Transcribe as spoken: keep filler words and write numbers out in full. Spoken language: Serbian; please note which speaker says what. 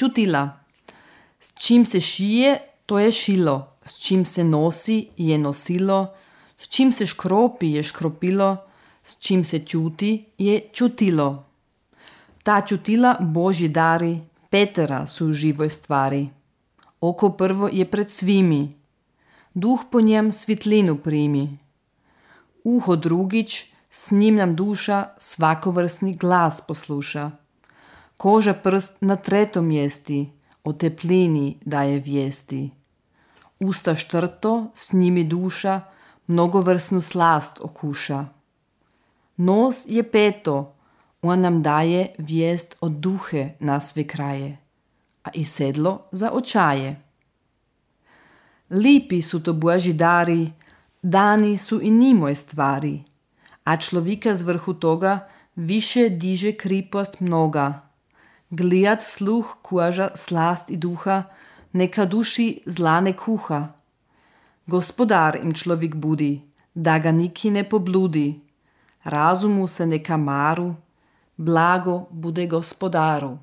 Speaker 1: Čutila. S čim se šije, to je šilo. S čim se nosi, je nosilo. S čim se škropi, je škropilo. S čim se čuti, je čutilo. Ta čutila Božji dari, Petera su u živoj stvari. Oko prvo je pred svimi. Duh po njem svitlinu primi. Uho drugič, s njim nam duša svakovrsni glas posluša. Koža prst na tretom mjesti, o teplini daje vijesti. Usta štrto, s njimi duša mnogovrsnu slast okuša. Nos je peto, on nam daje vijest od duhe na sve kraje, a i sedlo za očaje. Lipi su to Božji dari, dani su i njimoj stvari, a človika z vrhu toga više diže kripost mnoga. Glijat sluh, koža, slast i duha, neka duši zla ne kuha. Gospodar im človek budi, da ga niki ne pobludi. Razumu se neka maru, blago bude gospodaru.